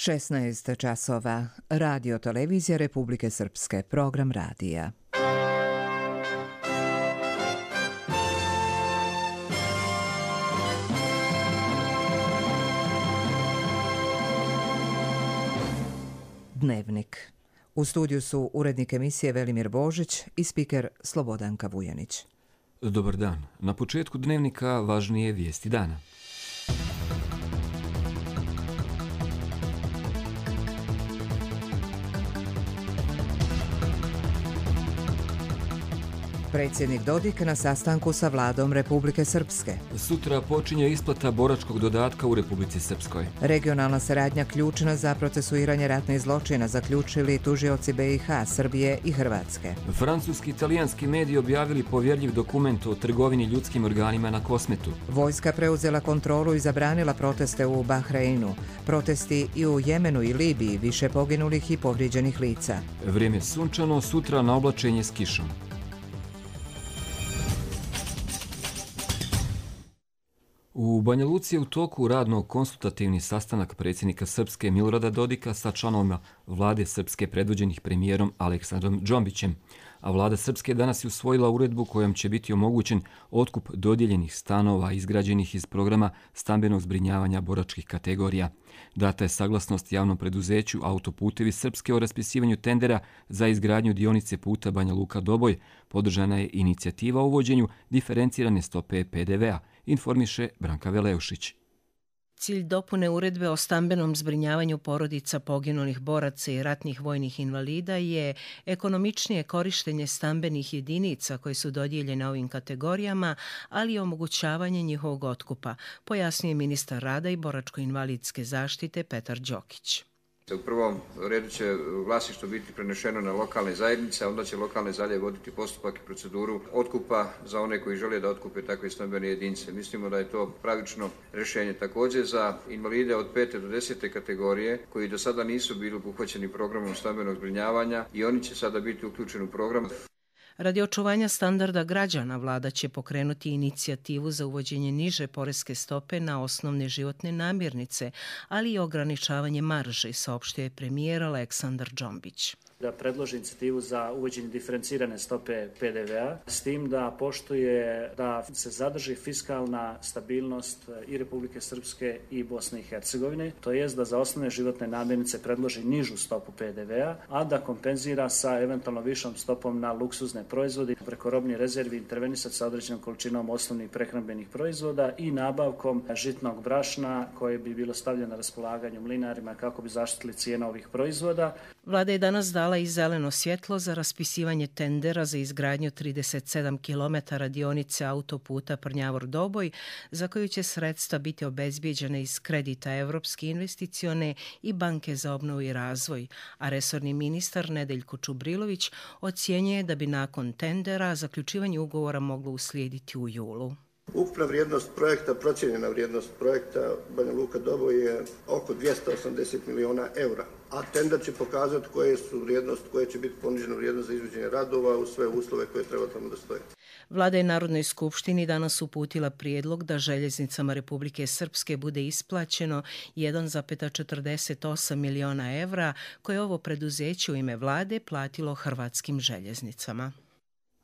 16 časova. Radio televizija Republike Srpske. Program radija. Dnevnik. U studiju su urednik emisije Velimir Božić i spiker Slobodanka Vujanić. Dobar dan. Na početku dnevnika važnije vijesti dana. Predsjednik Dodik na sastanku sa vladom Republike Srpske. Sutra počinje isplata boračkog dodatka u Republici Srpskoj. Regionalna saradnja ključna za procesuiranje ratnih zločina, zaključili tužioci BiH, Srbije i Hrvatske. Francuski i italijanski mediji objavili povjerljiv dokument o trgovini ljudskim organima na Kosmetu. Vojska preuzela kontrolu i zabranila proteste u Bahreinu. Protesti i u Jemenu i Libiji, više poginulih i povrijeđenih lica. Vrijeme sunčano, sutra na oblačenje s kišom. U Banja Luci je u toku radno-konsultativni sastanak predsjednika Srpske Milorada Dodika sa članovima vlade Srpske predvođenih premijerom Aleksandrom Džombićem, a vlada Srpske danas je usvojila uredbu kojom će biti omogućen otkup dodijeljenih stanova izgrađenih iz programa stambenog zbrinjavanja boračkih kategorija. Data je saglasnost javnom preduzeću Autoputevi Srpske o raspisivanju tendera za izgradnju dionice puta Banja Luka-Doboj. Podržana je inicijativa o uvođenju diferencirane stope PDV-a, informiše Branka Veleušić. Cilj dopune uredbe o stambenom zbrinjavanju porodica poginulih boraca i ratnih vojnih invalida je ekonomičnije korištenje stambenih jedinica koje su dodijeljene ovim kategorijama, ali i omogućavanje njihovog otkupa, pojasnije ministar rada i boračko-invalidske zaštite Petar Đokić. U prvom redu će vlasništvo biti prenešeno na lokalne zajednice, a onda će lokalne zajednice voditi postupak i proceduru otkupa za one koji žele da otkupe takve stambene jedinice. Mislimo da je to pravično rješenje. Također za invalide od 5. do 10. kategorije koji do sada nisu bili obuhvaćeni programom stambenog zbrinjavanja i oni će sada biti uključeni u program. Radi očuvanja standarda građana, vlada će pokrenuti inicijativu za uvođenje niže poreske stope na osnovne životne namirnice, ali i ograničavanje marže, saopštio je premijer Aleksandar Džombić. Da predloži inicijativu za uvođenje diferencirane stope PDV-a, s tim da poštuje da se zadrži fiskalna stabilnost i Republike Srpske i Bosne i Hercegovine, to jest da za osnovne životne namirnice predloži nižu stopu PDV-a, a da kompenzira sa eventualno višom stopom na luksuzne proizvode, preko robnih rezervi intervenisati sa određenom količinom osnovnih prehrambenih proizvoda i nabavkom žitnog brašna koje bi bilo stavljeno na raspolaganje mlinarima kako bi zaštitili cijenu ovih proizvoda. Vlada je danas dala i zeleno svjetlo za raspisivanje tendera za izgradnju 37 km dionice autoputa Prnjavor-Doboj, za koju će sredstva biti obezbijeđene iz kredita Evropske investicione i Banke za obnovu i razvoj, a resorni ministar Nedeljko Čubrilović ocjenjuje da bi nakon tendera zaključivanje ugovora moglo uslijediti u julu. Ukupna vrijednost projekta, procijenjena vrijednost projekta Banja Luka-Doboj je oko 280 miliona eura, a tender će pokazati koje će biti ponižena vrijednost za izvođenje radova u sve uslove koje treba tamo da stoje. Vlada je Narodnoj skupštini danas uputila prijedlog da željeznicama Republike Srpske bude isplaćeno 1,48 miliona evra koje ovo preduzeće u ime vlade platilo hrvatskim željeznicama.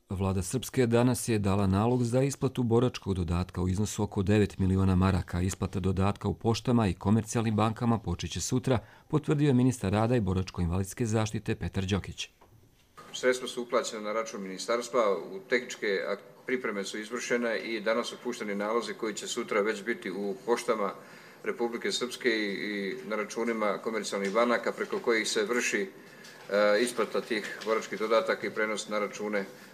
Vlada Srpske danas je dala nalog za isplatu boračkog dodatka u iznosu oko 9 miliona maraka. Isplata dodatka u poštama i komercijalnim bankama počeće sutra, potvrdio je ministar rada i boračko-invalidske zaštite Petar Đokić. Sredstva su uplaćena na račun ministarstva, tehničke pripreme su izvršene i danas su pušteni nalozi koji će sutra već biti u poštama Republike Srpske i na računima komercijalnih banaka preko kojih se vrši isplata tih boračkih dodataka i prenos na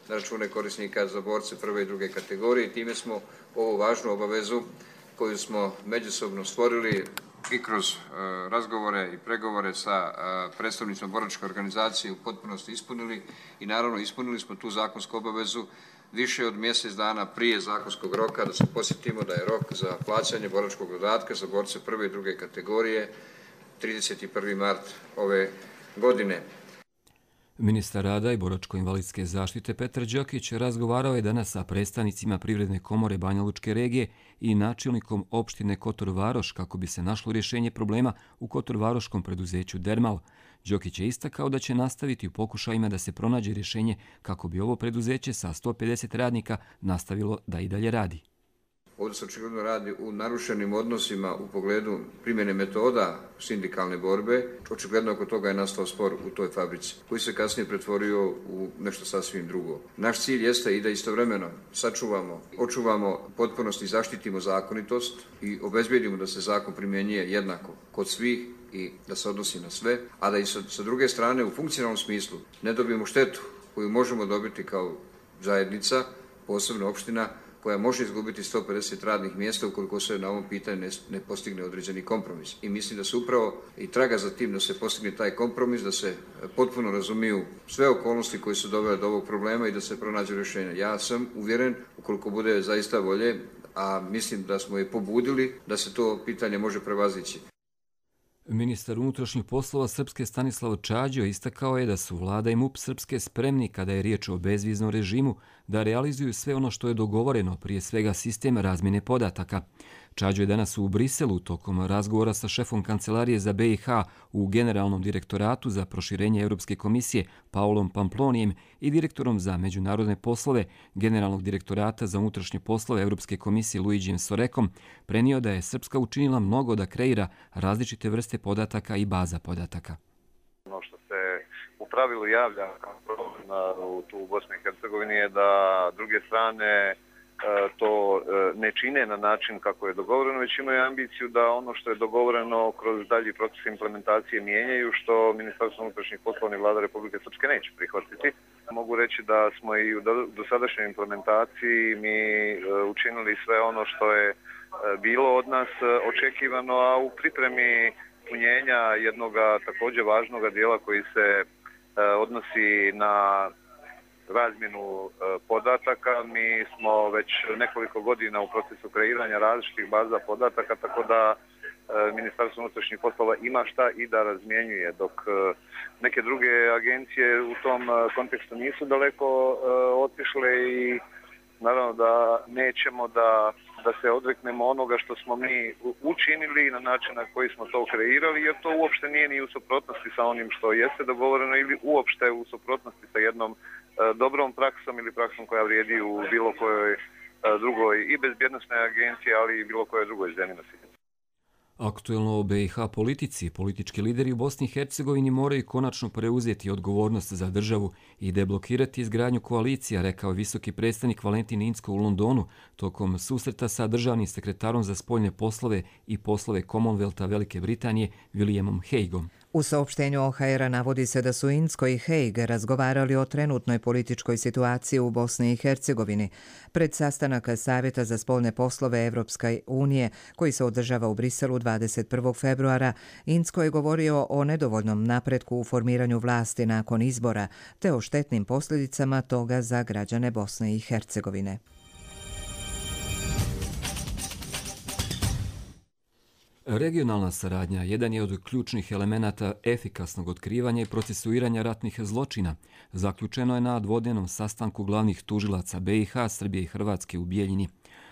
račune korisnika za borce prve i druge kategorije. Time smo ovu važnu obavezu koju smo međusobno stvorili i kroz razgovore i pregovore sa predstavnicima boračke organizacije u potpunosti ispunili i naravno ispunili smo tu zakonsku obavezu više od mjesec dana prije zakonskog roka, da se posjetimo da je rok za plaćanje boračkog dodatka za borce prve i druge kategorije 31. mart ove godine. Ministar rada i boračko-invalidske zaštite Petar Đokić razgovarao je danas sa predstavnicima Privredne komore Banja Lučke regije i načelnikom opštine Kotor Varoš kako bi se našlo rješenje problema u Kotorvaroškom preduzeću Dermal. Đokić je istakao da će nastaviti u pokušajima da se pronađe rješenje kako bi ovo preduzeće sa 150 radnika nastavilo da i dalje radi. Ovdje se očigledno radi u narušenim odnosima u pogledu primjene metoda sindikalne borbe. Očigledno oko toga je nastao spor u toj fabrici, koji se kasnije pretvorio u nešto sasvim drugo. Naš cilj jeste i da istovremeno očuvamo potpunost i zaštitimo zakonitost i obezbijedimo da se zakon primjenjuje jednako kod svih i da se odnosi na sve, a da i sa druge strane u funkcionalnom smislu ne dobijemo štetu koju možemo dobiti kao zajednica, posebno opština, koja može izgubiti 150 radnih mjesta ukoliko se na ovom pitanju ne postigne određeni kompromis. I mislim da se upravo i traga za tim da se postigne taj kompromis, da se potpuno razumiju sve okolnosti koje su dovele do ovog problema i da se pronađe rješenje. Ja sam uvjeren, ukoliko bude zaista volje, a mislim da smo je pobudili, da se to pitanje može prevazići. Ministar unutrašnjih poslova Srpske Stanislav Čađo istakao je da su vlada i MUP Srpske spremni kada je riječ o bezviznom režimu da realizuju sve ono što je dogovoreno, prije svega sistem razmjene podataka. Čađo je danas u Briselu tokom razgovora sa šefom Kancelarije za BiH u Generalnom direktoratu za proširenje Europske komisije Paulom Pamplonijem i direktorom za međunarodne poslove Generalnog direktorata za unutrašnje poslove Europske komisije Luigijem Sorekom prenio da je Srpska učinila mnogo da kreira različite vrste podataka i baza podataka. Ono što se u pravilu javlja kao problem u Bosni i Hercegovini je da druge strane to ne čine na način kako je dogovoreno, već imaju ambiciju da ono što je dogovoreno kroz dalji proces implementacije mijenjaju, što Ministarstvo unutrašnjih poslova i Vlada Republike Srpske neće prihvatiti. Mogu reći da smo i u dosadašnjoj implementaciji mi učinili sve ono što je bilo od nas očekivano, a u pripremi punjenja jednog također važnog dijela koji se odnosi na razmjenu podataka. Mi smo već nekoliko godina u procesu kreiranja različitih baza podataka, tako da Ministarstvo unutrašnjih poslova ima šta i da razmjenjuje, dok neke druge agencije u tom kontekstu nisu daleko otišle i naravno da nećemo da se odreknemo onoga što smo mi učinili na način na koji smo to kreirali, jer to uopšte nije ni u suprotnosti sa onim što jeste dogovoreno ili uopšte u suprotnosti sa jednom dobrom praksom ili praksom koja vrijedi u bilo kojoj drugoj i bezbjednosnoj agenciji, ali i bilo kojoj drugoj zemlji na svijetu. Aktuelno o BiH politici, politički lideri u Bosni i Hercegovini moraju konačno preuzeti odgovornost za državu i deblokirati izgradnju koalicija, rekao je visoki predstavnik Valentin Incko u Londonu tokom susreta sa državnim sekretarom za spoljne poslove i poslove Commonwealtha Velike Britanije Williamom Hagueom. U saopštenju OHR-a navodi se da su Incko i Hague razgovarali o trenutnoj političkoj situaciji u Bosni i Hercegovini. Pred sastanak Savjeta za spoljne poslove Evropske unije, koji se održava u Briselu 21. februara, Incko je govorio o nedovoljnom napretku u formiranju vlasti nakon izbora, te o štetnim posljedicama toga za građane Bosne i Hercegovine. Regionalna saradnja jedan je od ključnih elemenata efikasnog otkrivanja i procesuiranja ratnih zločina. Zaključeno je na dvodnevnom sastanku glavnih tužilaca BiH, Srbije i Hrvatske u Bijeljini.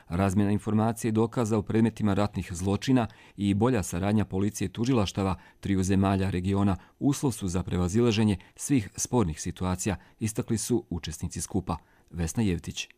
Razmjena informacije i dokaza o predmetima ratnih zločina i bolja saradnja policije i tužilaštava triju zemalja regiona uslov su za prevazilaženje svih spornih situacija, istakli su učesnici skupa. Vesna Jevtić.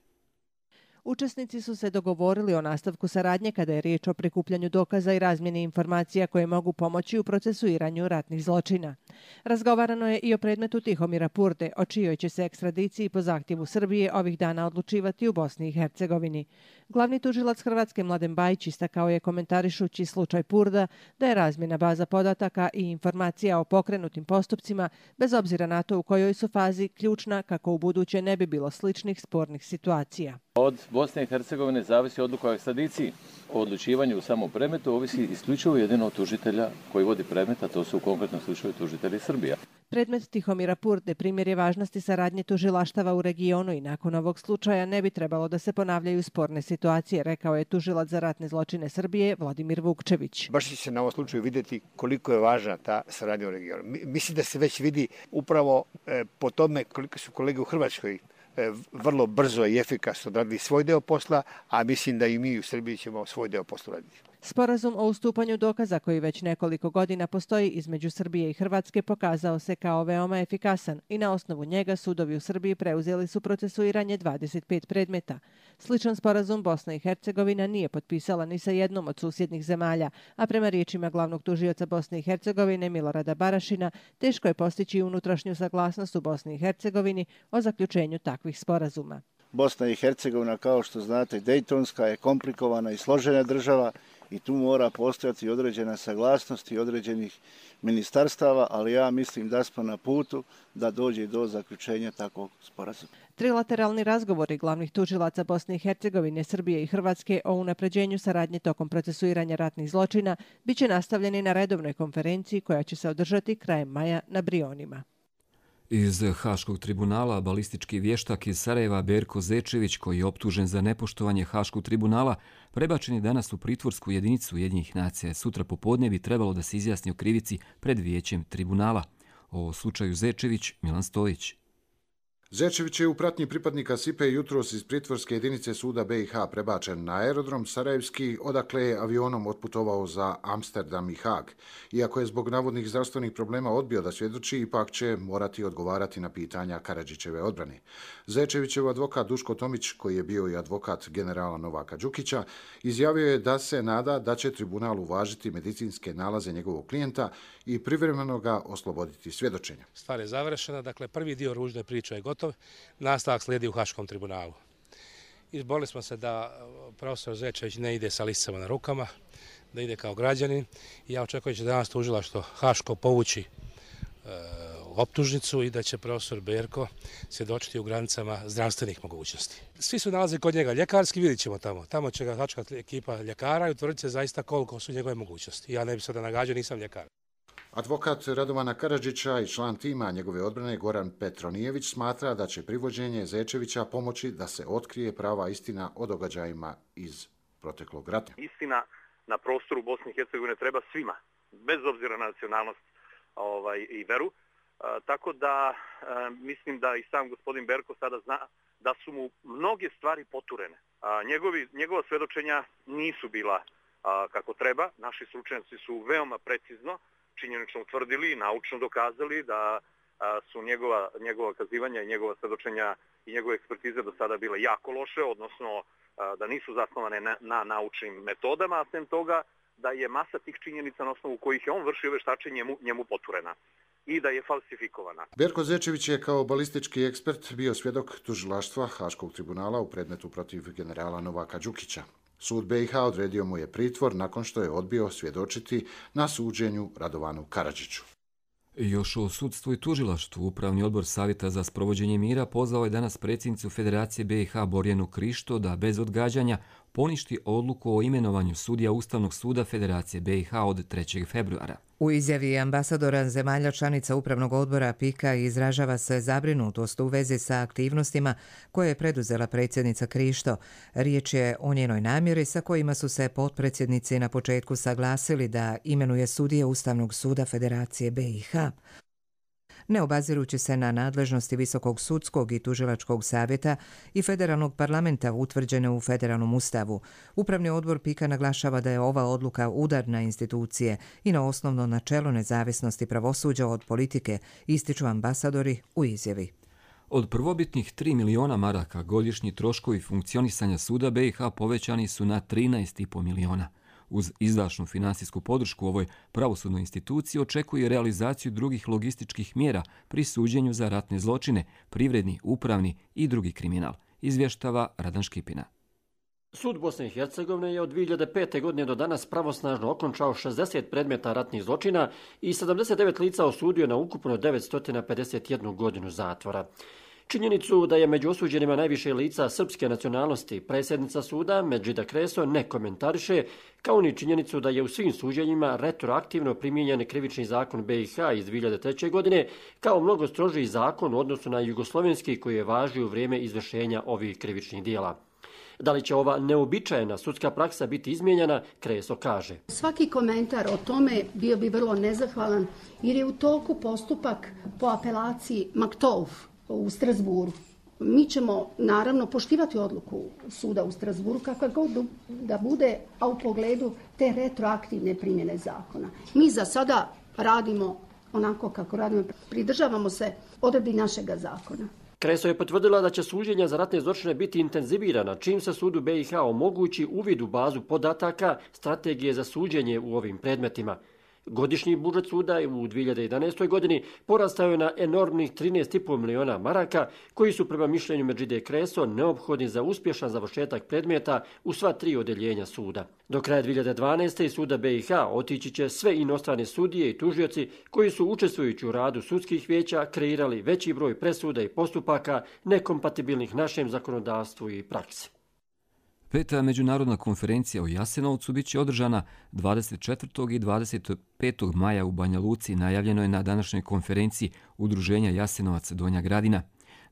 Učesnici su se dogovorili o nastavku saradnje kada je riječ o prikupljanju dokaza i razmjeni informacija koje mogu pomoći u procesuiranju ratnih zločina. Razgovarano je i o predmetu Tihomira Purde, o čijoj će se ekstradiciji po zahtjevu Srbije ovih dana odlučivati u Bosni i Hercegovini. Glavni tužilac Hrvatske Mladen Bajić istakao je komentarišući slučaj Purda da je razmjena baza podataka i informacija o pokrenutim postupcima, bez obzira na to u kojoj su fazi, ključna kako u buduće ne bi bilo sličnih spornih situacija. Od Bosne i Hercegovine zavisi odluka o ekstradiciji. O odlučivanju u samom predmetu ovisi isključivo jedino od tužitelja koji vodi predmet, a to su u konkretnom slučaju tužitelji Srbija. Predmet Tihomira Purde primjer je važnosti saradnje tužilaštava u regionu i nakon ovog slučaja ne bi trebalo da se ponavljaju sporne situacije, rekao je tužilac za ratne zločine Srbije Vladimir Vukčević. Baš će se na ovom slučaju vidjeti koliko je važna ta saradnja u regionu. Mislim da se već vidi upravo po tome koliko su kolege u Hrvatskoj vrlo brzo i efikasno radili svoj deo posla, a mislim da i mi u Srbiji ćemo svoj deo posla raditi. Sporazum o ustupanju dokaza koji već nekoliko godina postoji između Srbije i Hrvatske pokazao se kao veoma efikasan i na osnovu njega sudovi u Srbiji preuzeli su procesuiranje 25 predmeta. Sličan sporazum Bosna i Hercegovina nije potpisala ni sa jednom od susjednih zemalja, a prema riječima glavnog tužioca Bosne i Hercegovine Milorada Barašina, teško je postići unutrašnju saglasnost u Bosni i Hercegovini o zaključenju takvih sporazuma. Bosna i Hercegovina, kao što znate, dejtonska je komplikovana i složena država i tu mora postojati određena saglasnost i određenih ministarstava, ali ja mislim da smo na putu da dođe do zaključenja takvog sporazuma. Trilateralni razgovori glavnih tužilaca Bosne i Hercegovine, Srbije i Hrvatske o unapređenju saradnje tokom procesuiranja ratnih zločina biće nastavljeni na redovnoj konferenciji koja će se održati krajem maja na Brionima. Iz Haškog tribunala balistički vještak iz Sarajeva Berko Zečević, koji je optužen za nepoštovanje Haškog tribunala, prebačen je danas u pritvorsku jedinicu Ujedinjenih nacija. Sutra popodne bi trebalo da se izjasni o krivici pred vijećem tribunala. O slučaju Zečević, Milan Stojić. Zečević je u pratnji pripadnika SIPE jutros iz pritvorske jedinice suda BiH prebačen na aerodrom Sarajevski, odakle je avionom otputovao za Amsterdam i Haag. Iako je zbog navodnih zdravstvenih problema odbio da svjedoči, ipak će morati odgovarati na pitanja Karadžićeve odbrane. Zečevićev advokat Duško Tomić, koji je bio i advokat generala Novaka Đukića, izjavio je da se nada da će tribunal uvažiti medicinske nalaze njegovog klijenta i privremeno ga osloboditi svjedočenja. Stvar je završena, dakle prvi dio ružne priče je gotov. Nastavak slijedi u Haškom tribunalu. Izborili smo se da profesor Zečević ne ide sa lisicama na rukama, da ide kao građanin i ja očekujem da će danas tužilaštvo Haško povući optužnicu i da će profesor Berko svjedočiti u granicama zdravstvenih mogućnosti. Svi su nalazi kod njega ljekarski, vidjet ćemo tamo. Tamo će ga hačkati ekipa ljekara i utvrditi se zaista koliko su njegove mogućnosti. Ja ne bih sada nagađao, nisam ljekar. Advokat Radovana Karadžića i član tima njegove odbrane Goran Petronijević smatra da će privođenje Zečevića pomoći da se otkrije prava istina o događajima iz proteklog rata. Istina na prostoru Bosne i Hercegovine treba svima, bez obzira na nacionalnost i veru. Tako da mislim da i sam gospodin Berko sada zna da su mu mnoge stvari poturene. Njegova svjedočenja nisu bila kako treba. Naši stručnjaci su veoma precizno činjenično utvrdili i naučno dokazali da su njegova kazivanja i njegova svjedočenja i njegove ekspertize do sada bile jako loše, odnosno da nisu zasnovane na naučnim metodama, a sem toga da je masa tih činjenica na osnovu kojih je on vršio veštačenje njemu poturena i da je falsifikovana. Berko Zečević je kao balistički ekspert bio svjedok tužilaštva Haškog tribunala u predmetu protiv generala Novaka Đukića. Sud BiH odredio mu je pritvor nakon što je odbio svjedočiti na suđenju Radovanu Karadžiću. Još o sudstvu i tužilaštvu Upravni odbor Savjeta za sprovođenje mira pozvao je danas predsjednicu Federacije BiH Borjanu Krišto da bez odgađanja poništi odluku o imenovanju sudija Ustavnog suda Federacije BiH od 3. februara. U izjavi ambasadora zemalja članica Upravnog odbora PIKA izražava se zabrinutost u vezi sa aktivnostima koje je preduzela predsjednica Krišto. Riječ je o njenoj namjeri sa kojima su se potpredsjednici na početku saglasili da imenuje sudije Ustavnog suda Federacije BiH. Ne obazirući se na nadležnosti Visokog sudskog i tužilačkog savjeta i federalnog parlamenta utvrđene u federalnom ustavu, Upravni odbor PIKA naglašava da je ova odluka udar na institucije i na osnovno načelo nezavisnosti pravosuđa od politike, ističu ambasadori u izjavi. Od prvobitnih 3 miliona maraka godišnji troškovi funkcionisanja suda BiH povećani su na 13,5 miliona. Uz izdašnu finansijsku podršku ovoj pravosudnoj instituciji očekuje realizaciju drugih logističkih mjera pri suđenju za ratne zločine, privredni, upravni i drugi kriminal, izvještava Radan Škipina. Sud Bosne i Hercegovine je od 2005. godine do danas pravosnažno okončao 60 predmeta ratnih zločina i 79 lica osudio na ukupno 951 godinu zatvora. Činjenicu da je među osuđenima najviše lica srpske nacionalnosti predsjednica suda Medžida Kreso ne komentariše, kao ni činjenicu da je u svim suđenjima retroaktivno primijenjen krivični zakon BiH iz 2003. godine kao mnogo strožiji zakon u odnosu na jugoslovenski koji je važio u vrijeme izvršenja ovih krivičnih dijela. Da li će ova neobičajena sudska praksa biti izmijenjena, Kreso kaže. Svaki komentar o tome bio bi vrlo nezahvalan jer je u toku postupak po apelaciji Maktouf u Strasburu. Mi ćemo naravno poštivati odluku suda u Strasburu kakva god da bude, a u pogledu te retroaktivne primjene zakona. Mi za sada radimo onako kako radimo, pridržavamo se odredbi našega zakona. Kreso je potvrdila da će suđenja za ratne zločine biti intenzivirana čim se sudu BiH omogući uvid u bazu podataka strategije za suđenje u ovim predmetima. Godišnji budžet suda u 2011. godini porastao je na enormnih 13,5 miliona maraka, koji su prema mišljenju Medžide Kreso neophodni za uspješan završetak predmeta u sva 3 odeljenja suda. Do kraja 2012. iz suda BiH otići će sve inostrane sudije i tužioci koji su učestvujući u radu sudskih vijeća kreirali veći broj presuda i postupaka nekompatibilnih našem zakonodavstvu i praksi. 5. međunarodna konferencija u Jasenovcu bit će održana 24. i 25. maja u Banja Luci, najavljeno je na današnjoj konferenciji Udruženja Jasenovac Donja Gradina.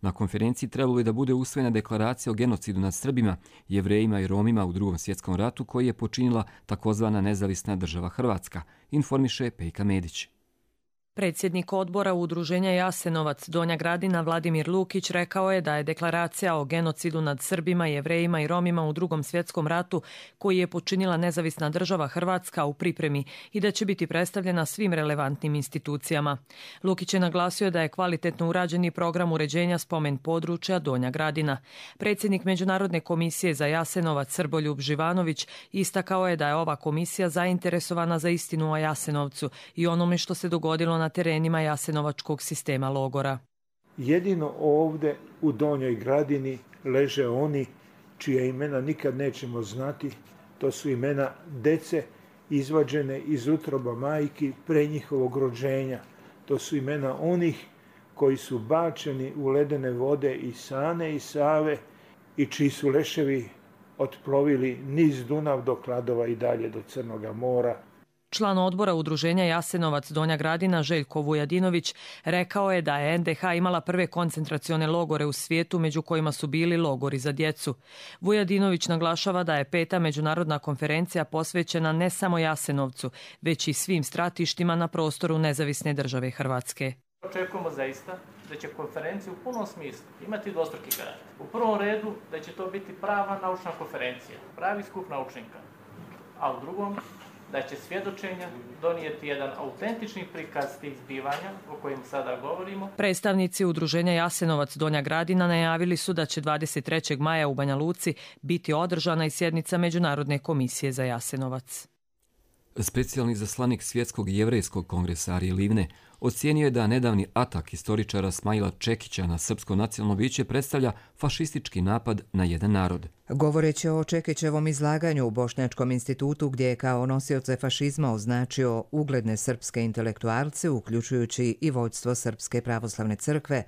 Na konferenciji trebalo je da bude usvojena deklaracija o genocidu nad Srbima, Jevrejima i Romima u Drugom svjetskom ratu koji je počinila takozvana nezavisna država Hrvatska, informiše Pejka Medić. Predsjednik odbora Udruženja Jasenovac Donja Gradina Vladimir Lukić rekao je da je deklaracija o genocidu nad Srbima, Jevrejima i Romima u Drugom svjetskom ratu koji je počinila nezavisna država Hrvatska u pripremi i da će biti predstavljena svim relevantnim institucijama. Lukić je naglasio da je kvalitetno urađeni program uređenja spomen područja Donja Gradina. Predsjednik Međunarodne komisije za Jasenovac Srboljub Živanović istakao je da je ova komisija zainteresovana za istinu o Jasenovcu i onome što se dogodilo na terenima jasenovačkog sistema logora. Jedino ovdje u Donjoj Gradini leže oni čija imena nikad nećemo znati. To su imena dece izvađene iz utroba majki pre njihovog rođenja. To su imena onih koji su bačeni u ledene vode i Sane i Save i čiji su leševi otplovili niz Dunav do Kladova i dalje do Crnoga mora. Član odbora Udruženja Jasenovac Donja Gradina Željko Vujadinović rekao je da je NDH imala prve koncentracione logore u svijetu, među kojima su bili logori za djecu. Vujadinović naglašava da je 5. međunarodna konferencija posvećena ne samo Jasenovcu, već i svim stratištima na prostoru nezavisne države Hrvatske. Očekujemo zaista da će konferencija u punom smislu imati dvostruki karakter. U prvom redu da će to biti prava naučna konferencija, pravi skup naučnika, a u drugom da će svjedočenja donijeti jedan autentični prikaz tih zbivanja o kojim sada govorimo. Predstavnici Udruženja Jasenovac Donja Gradina najavili su da će 23. maja u Banja Luci biti održana i sjednica Međunarodne komisije za Jasenovac. Specijalni zaslanik Svjetskog jevrejskog kongresa Arije Livne ocijenio je da nedavni atak historičara Smajla Čekića na Srpsko nacionalno vijeće predstavlja fašistički napad na jedan narod. Govoreći o Čekićevom izlaganju u Bošnjačkom institutu gdje je kao nosioce fašizma označio ugledne srpske intelektualce, uključujući i vođstvo Srpske pravoslavne crkve,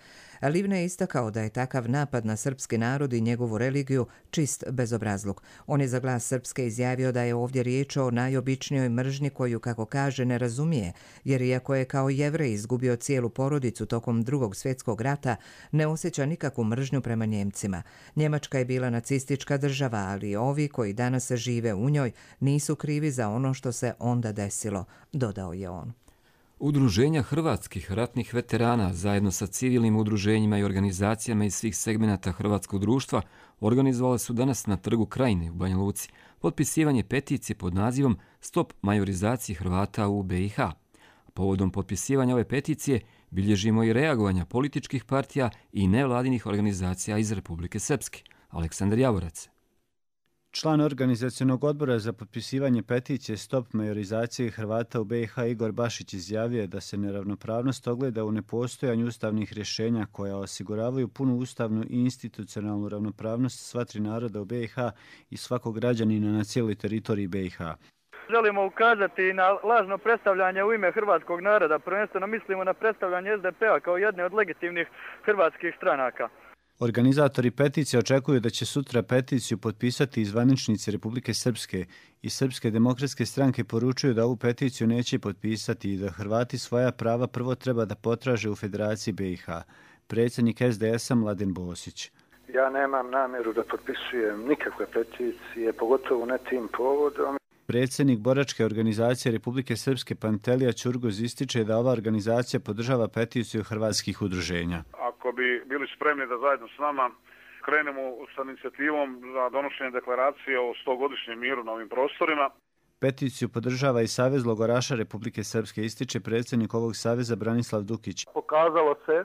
Livne je istakao da je takav napad na srpski narod i njegovu religiju čist bezobrazluk. On je za Glas Srpske izjavio da je ovdje riječ o najobičnijoj mržnji koju, kako kaže, ne razumije, jer iako je kao Jevrej izgubio cijelu porodicu tokom Drugog svjetskog rata, ne osjeća nikakvu mržnju prema Njemcima. Njemačka je bila nacistička država, ali ovi koji danas žive u njoj nisu krivi za ono što se onda desilo, dodao je on. Udruženja hrvatskih ratnih veterana zajedno sa civilnim udruženjima i organizacijama iz svih segmenata hrvatskog društva organizovale su danas na Trgu Krajine u Banja Luci potpisivanje peticije pod nazivom Stop majorizaciji Hrvata u BiH. Povodom potpisivanja ove peticije bilježimo i reagovanja političkih partija i nevladinih organizacija iz Republike Srpske. Aleksandar Javorac. Član organizacionog odbora za potpisivanje peticije Stop majorizaciji Hrvata u BiH Igor Bašić izjavio da se neravnopravnost ogleda u nepostojanju ustavnih rješenja koja osiguravaju punu ustavnu i institucionalnu ravnopravnost sva tri naroda u BiH i svakog građanina na cijeloj teritoriji BiH. Želimo ukazati na lažno predstavljanje u ime hrvatskog naroda. Prvenstveno mislimo na predstavljanje SDP-a kao jedne od legitimnih hrvatskih stranaka. Organizatori peticije očekuju da će sutra peticiju potpisati i zvaničnici Republike Srpske i Srpske demokratske stranke poručuju da ovu peticiju neće potpisati i da Hrvati svoja prava prvo treba da potraže u Federaciji BiH. Predsjednik SDS-a Mladen Bosić. Ja nemam namjeru da potpisujem nikakve peticije, pogotovo ne tim povodom. Predsjednik boračke organizacije Republike Srpske Pantelija Ćurgoz ističe da ova organizacija podržava peticiju hrvatskih udruženja. Ako bi bili spremni da zajedno s nama krenemo sa inicijativom za donošenje deklaracije o 100-godišnjem miru na ovim prostorima. Peticiju podržava i Savez logoraša Republike Srpske, ističe predsjednik ovog saveza Branislav Dukić. Pokazalo se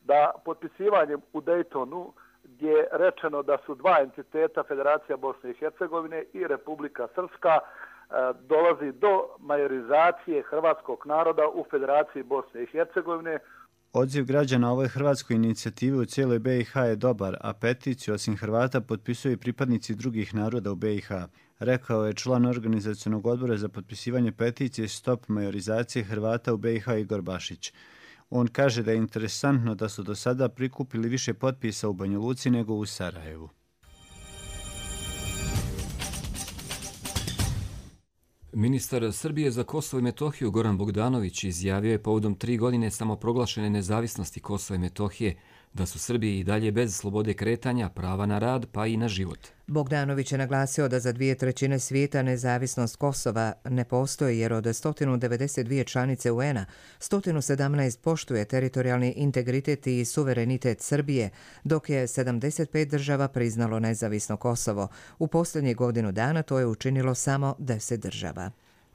da potpisivanjem u Dejtonu, gdje je rečeno da su dva entiteta, Federacija Bosne i Hercegovine i Republika Srpska, dolazi do majorizacije hrvatskog naroda u Federaciji Bosne i Hercegovine. Odziv građana ovoj hrvatskoj inicijativi u cijeloj BiH je dobar, a peticiju osim Hrvata potpisuju i pripadnici drugih naroda u BiH, rekao je član organizacionog odbora za potpisivanje peticije Stop majorizacije Hrvata u BiH Igor Bašić. On kaže da je interesantno da su do sada prikupili više potpisa u Banja Luci nego u Sarajevu. Ministar Srbije za Kosovo i Metohiju Goran Bogdanović izjavio je povodom 3 godine samoproglašene nezavisnosti Kosova i Metohije da su Srbiji i dalje bez slobode kretanja, prava na rad pa i na život. Bogdanović je naglasio da za 2/3 svijeta nezavisnost Kosova ne postoji jer od 192 članice UN-a 117 poštuje teritorijalni integritet i suverenitet Srbije, dok je 75 država priznalo nezavisno Kosovo. U posljednjih godinu dana to je učinilo samo 10 država.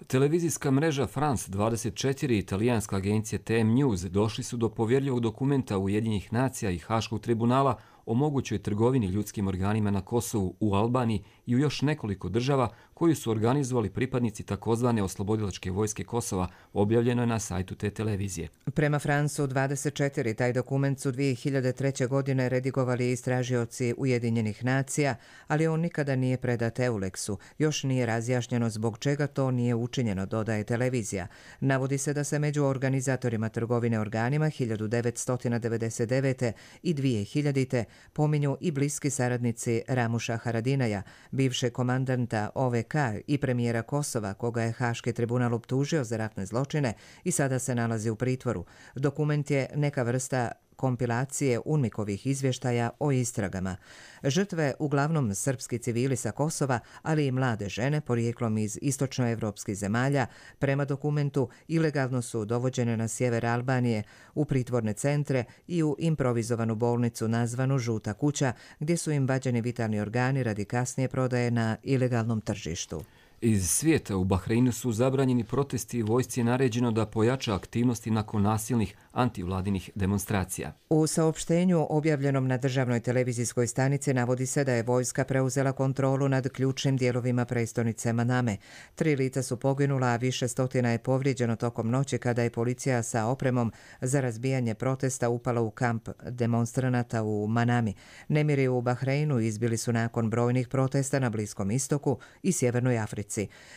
Televizijska mreža France 24 i italijanska agencija TM News došli su do povjerljivog dokumenta Ujedinjenih nacija i Haškog tribunala o mogućoj trgovini ljudskim organima na Kosovu, u Albaniji i u još nekoliko država koju su organizovali pripadnici takozvane oslobodilačke vojske Kosova, objavljeno je na sajtu te televizije. Prema Francu 24 taj dokument su 2003. godine redigovali istražioci Ujedinjenih nacija, ali on nikada nije predat EULEX-u. Još nije razjašnjeno zbog čega to nije učinjeno, dodaje televizija. Navodi se da se među organizatorima trgovine organima 1999. i 2000. pominju i bliski saradnici Ramuša Haradinaja, bivšeg komandanta OVK i premijera Kosova, koga je Haški tribunal optužio za ratne zločine i sada se nalazi u pritvoru. Dokument je neka vrsta kompilacije UNMIK-ovih izvještaja o istragama. Žrtve, uglavnom srpski civili sa Kosova, ali i mlade žene porijeklom iz istočnoevropskih zemalja, prema dokumentu ilegalno su dovođene na sjever Albanije, u pritvorne centre i u improvizovanu bolnicu nazvanu Žuta kuća, gdje su im vađeni vitalni organi radi kasnije prodaje na ilegalnom tržištu. Iz svijeta u Bahreinu su zabranjeni protesti i vojsci je naređeno da pojača aktivnosti nakon nasilnih antivladinih demonstracija. U saopštenju objavljenom na državnoj televizijskoj stanici navodi se da je vojska preuzela kontrolu nad ključnim dijelovima prestonice Maname. 3 lica su poginula, a više stotina je povrijeđeno tokom noći kada je policija sa opremom za razbijanje protesta upala u kamp demonstranata u Manami. Nemiri u Bahreinu izbili su nakon brojnih protesta na Bliskom istoku i Sjevernoj Africi.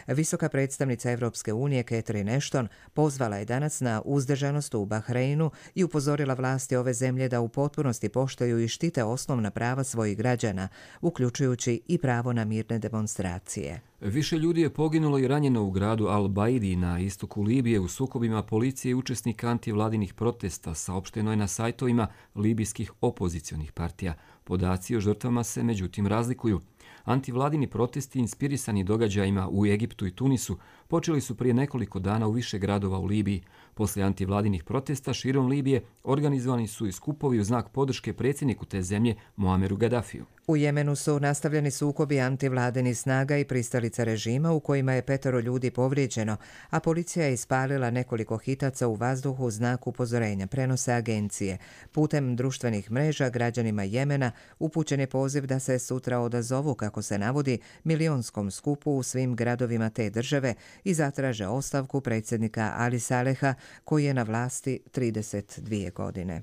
Visoka predstavnica Evropske unije Catherine Ashton pozvala je danas na uzdržanost u Bahreinu i upozorila vlasti ove zemlje da u potpunosti poštuju i štite osnovna prava svojih građana, uključujući i pravo na mirne demonstracije. Više ljudi je poginulo i ranjeno u gradu Al-Baidi na istoku Libije u sukobima policije i učesnika antivladinih protesta, saopšteno je na sajtovima libijskih opozicionih partija. Podaci o žrtvama se međutim razlikuju. Antivladini protesti inspirisani događajima u Egiptu i Tunisu počeli su prije nekoliko dana u više gradova u Libiji. Poslije antivladinih protesta širom Libije organizovani su i skupovi u znak podrške predsjedniku te zemlje Muameru Gaddafiju. U Jemenu su nastavljeni sukobi antivladinih snaga i pristalica režima u kojima je 5 ljudi povrijeđeno, a policija je ispalila nekoliko hitaca u vazduhu u znak upozorenja, prenose agencije. Putem društvenih mreža građanima Jemena upućen je poziv da se sutra odazovu, kako se navodi, milionskom skupu u svim gradovima te države i zatraže ostavku predsjednika Ali Saleha, koji je na vlasti 32 godine.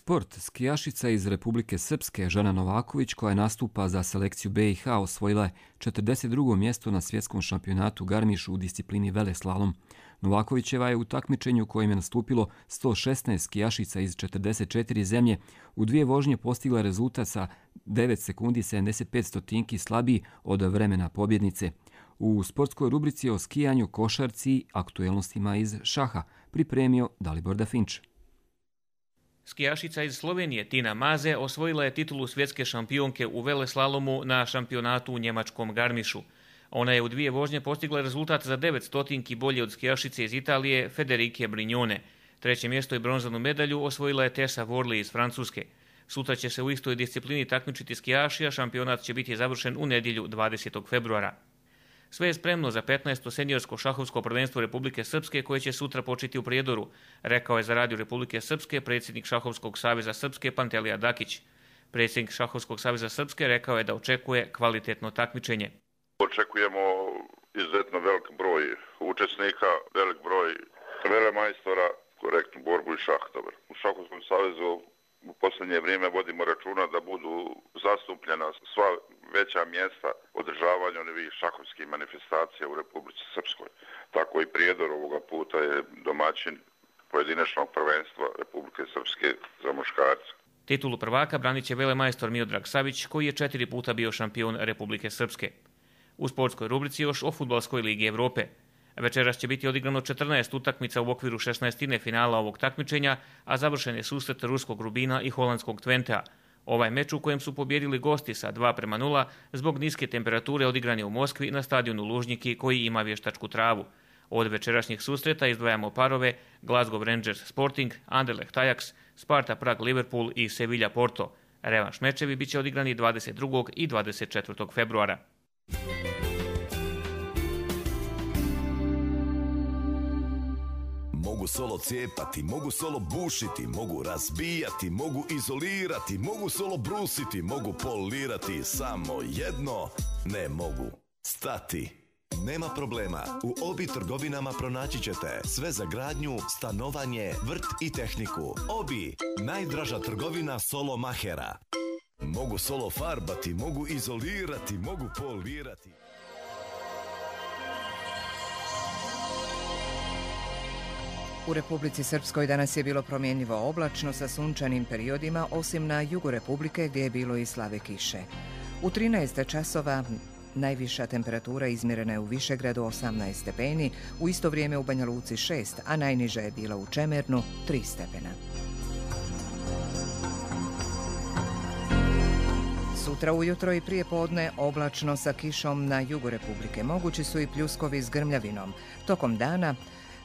Sport. Skijašica iz Republike Srpske Žana Novaković, koja nastupa za selekciju BiH, osvojila je 42. mjesto na svjetskom šampionatu Garmišu u disciplini veleslalom. Novakovićeva je u takmičenju u kojem je nastupilo 116 skijašica iz 44 zemlje u 2 vožnje postigla rezultat sa 9 sekundi 75 stotinki slabiji od vremena pobjednice. U sportskoj rubrici o skijanju, košarci i aktuelnostima iz šaha pripremio Dalibor Dafinč. Skijašica iz Slovenije Tina Maze osvojila je titulu svjetske šampionke u veleslalomu na šampionatu u njemačkom Garmišu. Ona je u 2 vožnje postigla rezultat za 9 stotinki bolje od skijašice iz Italije Federike Brignone. 3. mjesto i bronzanu medalju osvojila je Tessa Worley iz Francuske. Sutra će se u istoj disciplini takmičiti skijaši, a šampionat će biti završen u nedjelju 20. februara. Sve je spremno za 15. seniorsko šahovsko prvenstvo Republike Srpske koje će sutra početi u Prijedoru, rekao je za Radio Republike Srpske predsjednik Šahovskog saveza Srpske Pantelija Dakić. Predsjednik Šahovskog saveza Srpske rekao je da očekuje kvalitetno takmičenje. Očekujemo izuzetno velik broj učesnika, velik broj velemajstora, korektnu borbu i šah. U Šahovskom savezu u posljednje vrijeme vodimo računa da budu zastupljena sva veća mjesta održavanja ovih šahovskih manifestacija u Republici Srpskoj. Tako i Prijedor ovoga puta je domaćin pojedinačnog prvenstva Republike Srpske za muškarce. Titulu prvaka branit će velemajstor Miodrag Savić, koji je 4 puta bio šampion Republike Srpske. U sportskoj rubrici još o Fudbalskoj ligi Evrope. Večeras će biti odigrano 14 utakmica u okviru 16. finala ovog takmičenja, a završen je susret ruskog Rubina i holandskog Twentea. Ovaj meč u kojem su pobjedili gosti sa 2:0 zbog niske temperature odigran je u Moskvi na stadionu Lužniki koji ima vještačku travu. Od večerašnjih susreta izdvajamo parove Glasgow Rangers Sporting, Anderlecht Ajax, Sparta Prag Liverpool i Sevilla Porto. Revanš mečevi biće odigrani 22. i 24. februara. Mogu solo cijepati, mogu solo bušiti, mogu razbijati, mogu izolirati, mogu solo brusiti, mogu polirati, samo jedno ne mogu stati. Nema problema, u Obi trgovinama pronaći ćete sve za gradnju, stanovanje, vrt i tehniku. Obi, najdraža trgovina solo mahera. Mogu solo farbati, mogu izolirati, mogu polirati. U Republici Srpskoj danas je bilo promjenjivo oblačno sa sunčanim periodima, osim na jugu Republike gdje je bilo i slave kiše. U 13 časova najviša temperatura izmjerena je u Višegradu 18 stepeni, u isto vrijeme u Banja Luci 6, a najniža je bila u Čemernu 3 stepena. Sutra ujutro i prije podne oblačno sa kišom na jugu Republike. Mogući su i pljuskovi s grmljavinom. Tokom dana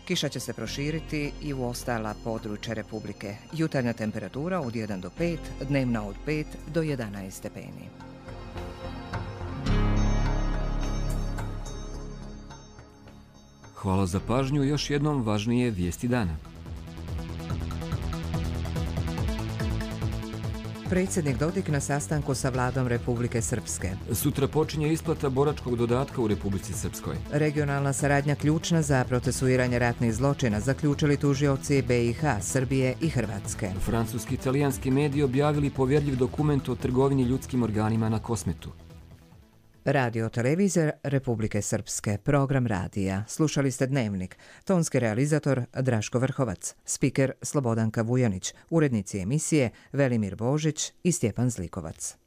kiša će se proširiti i u ostala područja Republike. Jutarnja temperatura od 1 do 5, dnevna od 5 do 11 stepeni. Hvala za pažnju, još jednom važnije vijesti dana. Predsjednik Dodik na sastanku sa vladom Republike Srpske. Sutra počinje isplata boračkog dodatka u Republici Srpskoj. Regionalna saradnja ključna za procesuiranje ratnih zločina, zaključili tužioci BiH, Srbije i Hrvatske. Francuski i italijanski mediji objavili povjerljiv dokument o trgovini ljudskim organima na Kosmetu. Radio televizija Republike Srpske, program radija. Slušali ste Dnevnik. Tonski realizator Draško Vrhovac, spiker Slobodanka Vujanić, urednici emisije Velimir Božić i Stjepan Zlikovac.